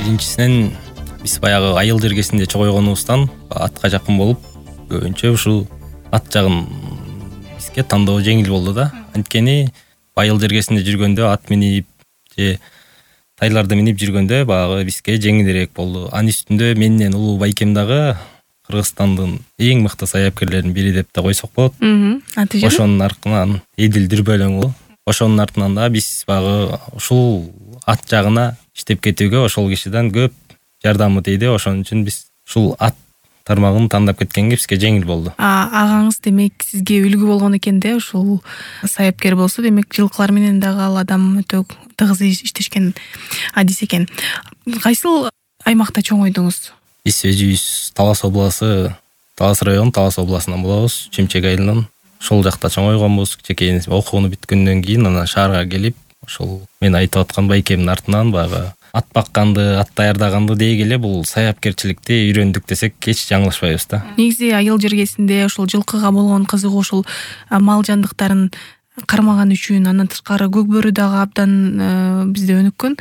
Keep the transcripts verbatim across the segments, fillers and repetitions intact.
биринчисинен биз баягы айыл жергесинде чогойгонубуздан атка жакын болуп көбүнчө ушул ат жагын бизге тандоо жеңил болду да. Анткени айыл жергесинде жүргөндө ат минип же тайларды минип жүргөндө баягы бизге жеңилирээк болду. Анын үстүндө менен улуу байкем дагы Кыргызстандын эң мыкты саяпкерлеринин бири деп да койсок болот. Аты жөнү? Ошонун артынан Эдил Дүрбөлөң болот. Ошонун артынан да биз баягы ушул ат жагына иштеп кетүүгө ошол кишиден көп жардамы тийди. Ошон үчүн биз ушул ат тармагын тандап кеткенге бизге жеңил болду. Агаңыз демек сизге үлгү болгон экен да, ушул саяпкер болсо, демек жылкылар менен дагы ал адам өтө тыгыз иштешкен адис экен. Кайсыл аймакта чоңойдуңуз? Биз өзүбүз Талас областы, Талас району, Талас областынан болобуз, Чемчек айылынан. Ошол жакта чоңойгонбуз. Кичекей окууну бүткөндөн кийин анан шаарга келип, ошол мен айтып аткан байкемдин артынан баягы ат бакканды, ат даярдаганды дей келе бул саяпкерчиликти үйрөндүк десек эч жаңылышпайбыз да. Негизи айыл жергесинде ушул жылкыга болгон кызыгуу ушул мал жандыктарын кармаган үчүн, андан тышкары көк бөрү дагы абдан бизде өнүккөн.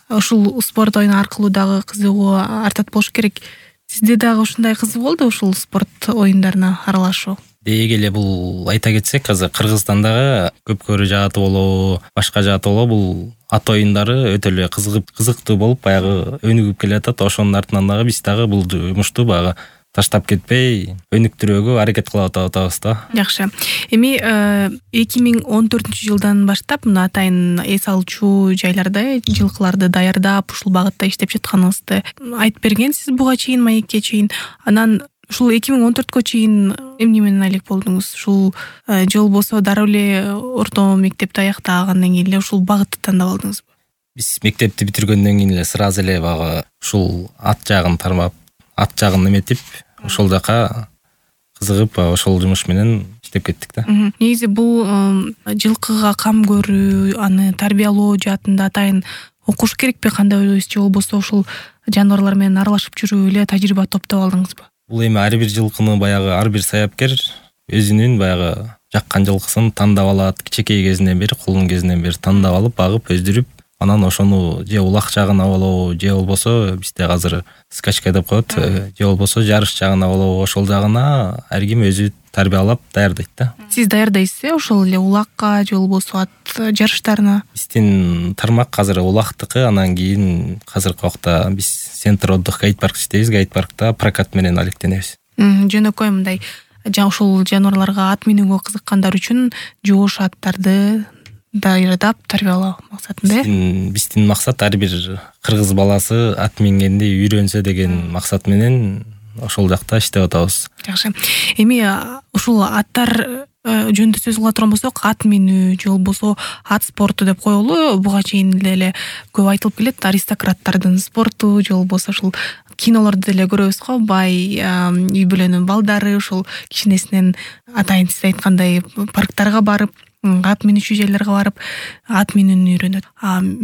Ушул спорт оюну аркылуу дагы кызыгуу артат болуш керек. Сизде дагы ушундай кызык болду ушул спорт оюндарына аралашуу? Дей келе бул айта кетсек, азыр Кыргызстандагы көпкөрү жааты болобу, башка жааты болобу, бул ат оюндары өтө эле кызыгып, кызыктуу болуп баягы өнүгүп келатат. Ошонун артынан дагы биз дагы бул жумушту баягы таштап кетпей, өнүктүрүүгө аракет кылып атабыз да. Жакшы. Эми эки миң он төртүнчү жылдан баштап мына атайын эс алчу жайларда жылкыларды даярдап, ушул багытта иштеп жатканыңызды айтып бергенсиз буга чейин, маекке чейин. Анан ушул эки миң он төрткө чейин эмне менен алек болдуңуз? Ушул же болбосо дароо эле орто мектепти аяктагандан кийин эле ушул багытты тандап алдыңызбы? Биз мектепти бүтүргөндөн кийин эле сразу эле баягы ушул ат жагын тармап, ат жагын эметип, ошол жака кызыгып, ошол жумуш менен иштеп кеттик да. Негизи бул жылкыга кам көрүү, аны тарбиялоо жаатында атайын окуш керекпи, кандай ойлойсуз? Же болбосо ушул жаныбарлар менен аралашып жүрүп эле тажрыйба топтоп алдыңызбы? Бул эми ар бир жылкыны баягы ар бир саяпкер өзүнүн баягы жаккан жылкысын тандап алат. Кичекей кезинен бери, кулун кезинен бери тандап алып, багып, өздүрүп, анан ошону же улак жагына болобу, же болбосо бизде азыр скачка деп коет, же болбосо жарыш жагына болобу, ошол жагына ар ким өзү тарбиялап даярдайт да. Сиз даярдайсыз э, ошол эле улакка же болбосо ат жарыштарына? Биздин тармак азыр улактыкы, анан кийин азыркы убакта биз центр отдых гайд парк иштейбиз. Гайд паркта прокат менен алектенебиз. Жөнөкөй мындай ушул жаныбарларга ат минүүгө кызыккандар үчүн жоош аттарды даярдап тарбиялоо максатында э? Биздин максат ар бир кыргыз баласы ат мингенди үйрөнсө деген максат менен ошол жакта иштеп атабыз. Жакшы. Эми ушул аттар жөнүндө сөз кыла турган болсок, ат минүү же болбосо ат спорту деп коелу. Буга чейин эле көп айтылып келет, аристократтардын спорту же болбосо ушул кинолорду деле көрөбүз го, бай үй бүлөнүн балдары ушул кичинесинен атайын сиз айткандай парктарга барып, ат минүүчү жайларга барып, ат минүүнү үйрөнөт.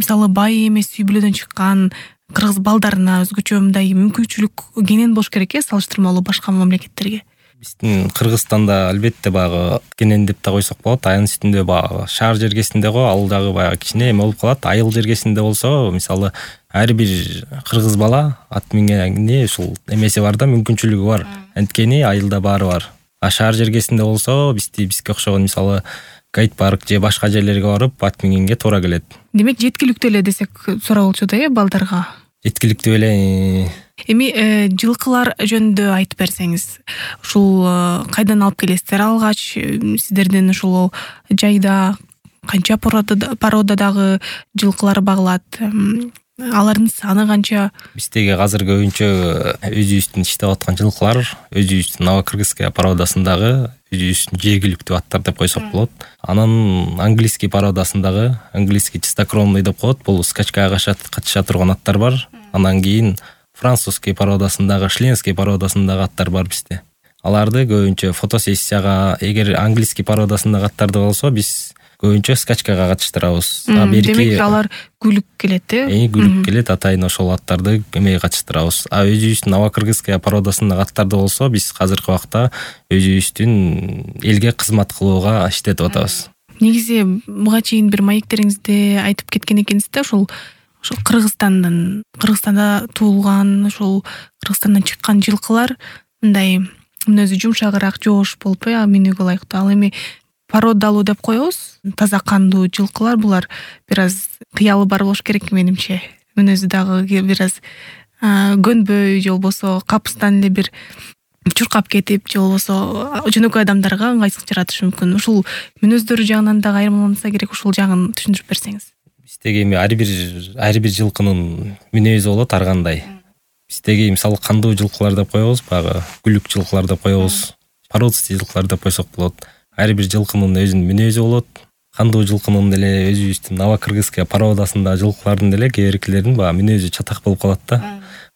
Мисалы бай эмес үй бүлөдөн чыккан кыргыз балдарына өзгөчө мындай мүмкүнчүлүк кенен болуш керек э, салыштырмалуу башка мамлекеттерге. Биздин Кыргызстанда албетте баягы кенен деп да койсок болот. Анын үстүндө баягы шаар жергесинде го ал дагы баягы кичине эме болуп калат. Айыл жергесинде болсо, мисалы, ар бир кыргыз бала ат мингенде ушул эмеси бар да, мүмкүнчүлүгү бар. Анткени айылда баары бар. А шаар жергесинде болсо, бизди бизге окшогон мисалы гайд парк же башка жерлерге барып ат мингенге туура келет. Демек жеткиликтүү эле десек туура болчу да, э, балдарга? Жеткиликтүү эле. Эми жылкылар жөнүндө айтып берсеңиз, ушул кайдан алып келесиздер алгач? Сиздердин ушул жайда канча породадагы жылкылар багылат? Алардын саны канча? Биздеги азыр көбүнчө өзүбүздүн иштеп аткан жылкылар өзүбүздүн Новокыргызская породасындагы өзүбүздүн жергиликтүү аттар деп койсок болот. Анан английский породасындагы, английский чистокровный деп коет, бул скачкага катыша турган аттар бар. Анан кийин французский породасындагы, членский породасындагы аттар бар бизде. Аларды көбүнчө фотосессияга, эгер английский породасындагы аттарды болсо, биз көбүнчө скачкага катыштырабыз. Демек алар күлүк келет э? Э, күлүк келет, атайын ошол аттарды эмеге катыштырабыз. А өзүбүздүн Новокыргызская породасындагы аттарды болсо, биз азыркы убакта өзүбүздүн элге кызмат кылууга иштетип атабыз. Негизи буга чейин бир маектериңизде айтып кеткен экенсиз да, ушул ошол Кыргызстандан Кыргызстанда туулган, ошол Кыргызстандан чыккан жылкылар мындай мүнөзү жумшагыраак, жоош болуп э минүүгө ылайыктуу. Ал эми породалуу деп коебуз, таза кандуу жылкылар булар бир аз кыялы бар болуш керек менимче. Мүнөзү дагы бир аз көнбөй же болбосо капыстан эле бир чуркап кетип же болбосо жөнөкөй адамдарга ыңгайсыздык жаратышы мүмкүн. Ушул мүнөздөрү жагынан дагы айырмаланса керек, ушул жагын түшүндүрүп берсеңиз. Биздеги эми ар бир ар бир жылкынын мүнөзү болот ар кандай. Биздеги мисалы кандуу жылкылар деп коебуз, багы күлүк жылкылар деп коебуз, породистый жылкылар деп койсок болот. Ар бир жылкынын өзүнүн мүнөзү болот. Кандуу жылкынын деле өзүбүздүн новокыргызская породасында жылкылардын деле кээ биркилеринин баягы мүнөзү чатак болуп калат да.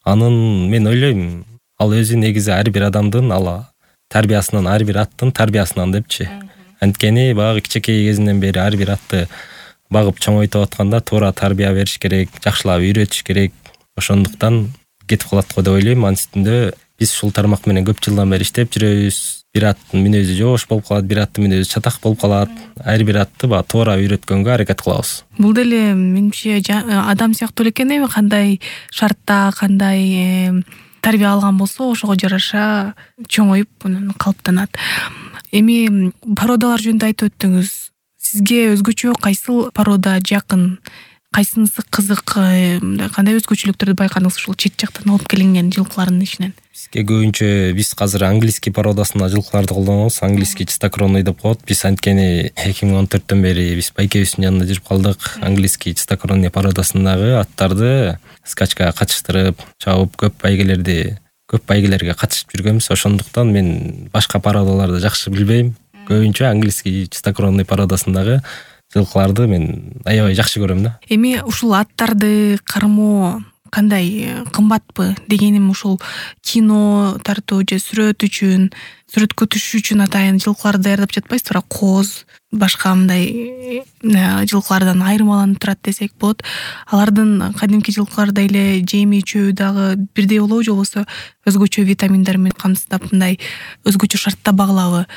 Анын мен ойлойм, ал өзү негизи ар бир адамдын ала тарбиясынан, ар бир аттын тарбиясынан депчи. Анткени баягы кичинекей кезинен бери ар бир атты багып чоңойтуп атканда туура тарбия бериш керек, жакшылап үйрөтүш керек. Ошондуктан кетип калат го деп ойлойм. Анын үстүндө биз ушул тармак менен көп жылдан бери иштеп жүрөбүз. Бир аттын мүнөзү жоош болуп калат, бир аттын мүнөзү чатак болуп калат. Ар бир атты баягы туура үйрөткөнгө аракет кылабыз. Бул деле менимче адам сыяктуу эле экен, эми кандай шартта, кандай тарбия алган болсо ошого жараша чоңоюп анан калыптанат. Эми породалар жөнүндө айтып өттүңүз. Сизге өзгөчө кайсыл порода жакын, кайсынысы кызык, кандай өзгөчөлүктөрдү байкадыңыз ушул чет жактан алып келинген жылкылардын ичинен? Бизге көбүнчө биз азыр английский породасында жылкыларды колдонобуз. Английский чистокровный деп коет. Биз анткени эки миң он төрттөн бери биз байкебиздин янында жүрүп калдык. Английский чистокровный породасындагы аттарды скачкага катыштырып, чабып көп байгелерди, көп байгелерге катышып жүргөнбүз. Ошондуктан мен башка породаларды жакшы билбейм. Көбүнчө английский чистокровный породасындагы жылкыларды мен аябай жакшы көрөм да. Эми ушул аттарды кармоо кандай, кымбатпы? Дегеним ушул кино тартуу же сүрөт үчүн, сүрөткө түшүш үчүн атайын жылкыларды даярдап жатпайсызбы? Кооз, башка мындай жылкылардан айырмаланып турат десек болот. Алардын кадимки жылкыларда эле жеми чөбү дагы бирдей болобу же болбосо өзгөчө витаминдер менен камсыздап мындай өзгөчө шартта багылабы?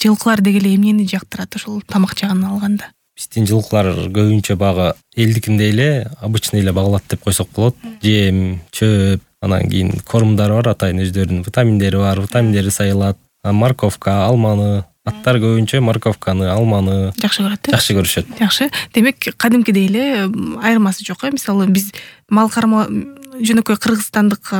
Жылкылар деги эле эмнени жактырат ошол тамак жагынан алганда? Биздин жылкылар көбүнчө багы элдикиндей эле обычный эле багылат деп койсок болот. Жем, чөп, анан кийин кормдары бар, атайын өздөрүнүн витаминдери бар, витаминдери сайылат. Морковка, алманы, аттар көбүнчө морковканы, алманы жакшы көрөт. Жакшы көрүшөт. Жакшы. Демек, кадимкидей эле айырмасы жок э? Мисалы, биз мал кармоо жөнөкөй кыргызстандык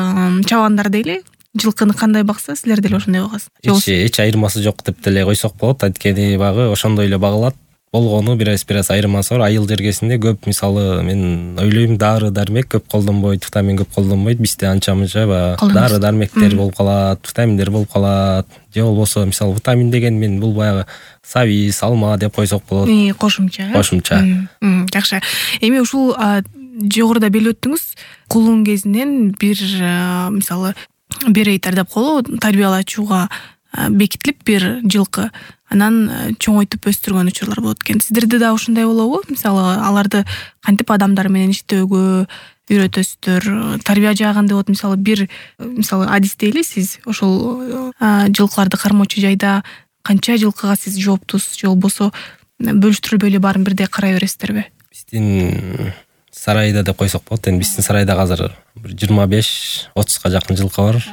чабандардей эле жылкыны кандай бакса, силер деле ошондой багасыз. Эч эч айырмасы жок деп деле койсок болот. Анткени багы ошондой эле багылат. Болгону бир аз бир аз айырмасы бар. Айыл жергесинде көп, мисалы, мен ойлойм, дары дармек көп колдонбойт, витамин көп колдонбойт. Бизде анча-мынча баягы дары дармектер болуп калат, витаминдер болуп калат. Же болбосо, мисалы, витамин деген мен бул баягы сабиз, алма деп койсок болот. Кошумча. Кошумча. Жакшы. Эми ушул жогоруда белип өттүңүз, кулун кезинен бир, мисалы, берейтер деп коелу, тарбиялачууга бекитилип бир жылкы анан чоңойтуп өстүргөн учурлар болот экен. Сиздерде да ушундай болобу? Мисалы, аларды кантип адамдар менен иштөөгө үйрөтөсүздөр? Тарбия жагында болот, мисалы, бир мисалы адис дейли, сиз ошол жылкыларды кармоочу жайда канча жылкыга сиз жооптусуз же болбосо бөлүштүрүлбөй эле баарын бирдей карай бересиздерби? Биздин сарайда деп койсок болот. Эми биздин сарайда азыр жыйырма беш отузга жакын жылкы бар.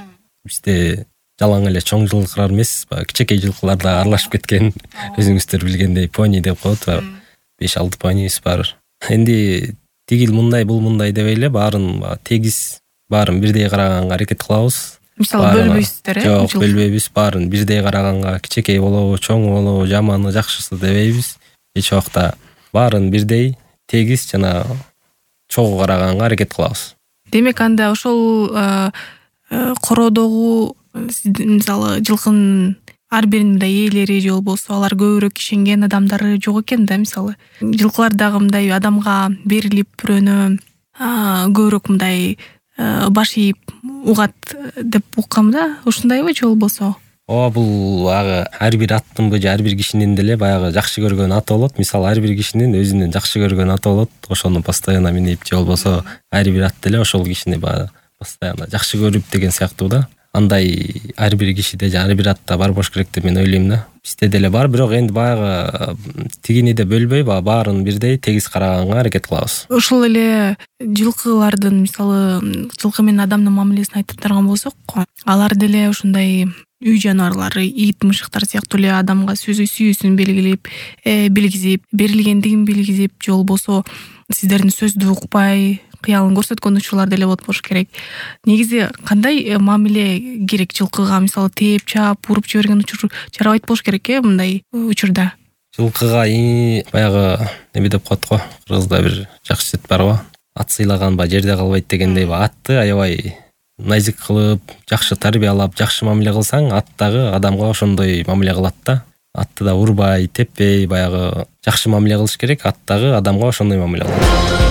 Бизде жалаң эле чоң жылкылар эмес, кичинекей жылкылар да аралашып кеткен. Өзүңүздөр билгендей пони деп коет, беш алты понибиз бар. Энди тигил мындай, бул мындай деп эле баарын тегиз, баарын бирдей караганга аракет кылабыз. Мисалы, бөлбөйсүздөр, э? Жок, бөлбөйбүз. Баарын бирдей караганга, кичинекей болобу, чоң болобу, жаманы, жакшысы дебейбиз. Эч убакта баарын бирдей, тегиз жана чогуу караганга аракет кылабыз. Демек, анда ошол кородогу мисалы жылкынын ар биринин мындай ээлери же болбосо алар көбүрөөк ишенген адамдары жок экен да. Мисалы, жылкылар дагы мындай адамга берилип бирөөнө көбүрөөк мындай баш ийип угат деп уккам да. Ушундайбы же болбосо? Ооба, бул ага ар бир аттынбы же ар бир кишинин деле баягы жакшы көргөн аты болот. Мисалы, ар бир кишинин өзүнүн жакшы көргөн аты болот. Ошону постоянно минип же болбосо ар бир ат деле ошол кишини баягы постоянно жакшы көрүп деген сыяктуу да. андай ар бир кишиде же ар бир атта бар болуш керек деп мен ойлойм да. Бизде деле бар, бирок энди баягы тигини да бөлбөй, баягы баарын бирдей тегиз караганга аракет кылабыз. Ошол эле жылкылардын, мисалы, жылкы менен адамдын мамилесин айтып тарган болсок, алар деле ушундай үй жаныбарлары, ит, мышыктар сыяктуу эле адамга сөзү сүйүүсүн белгилеп, билгизип, берилгендигин билгизип, же болбосо сиздердин сөздү укпай, кыялын көрсөткөн учурлар деле болот болуш керек. Негизи кандай мамиле керек жылкыга? Мисалы, тээп, чаап, уруп жиберген учур жарабайт болуш керек э мындай учурда. Жылкыга баягы неме деп коет го, кыргызда бир жакшы сөз бар го. Ат сыйлаганба жерде калбайт дегендей, атты аябай назик кылып, жакшы тарбиялап, жакшы мамиле кылсаң, ат дагы адамга ошондой мамиле кылат да. Атты да урбай, теппей, баягы жакшы мамиле кылыш керек, ат дагы адамга ошондой мамиле кылат.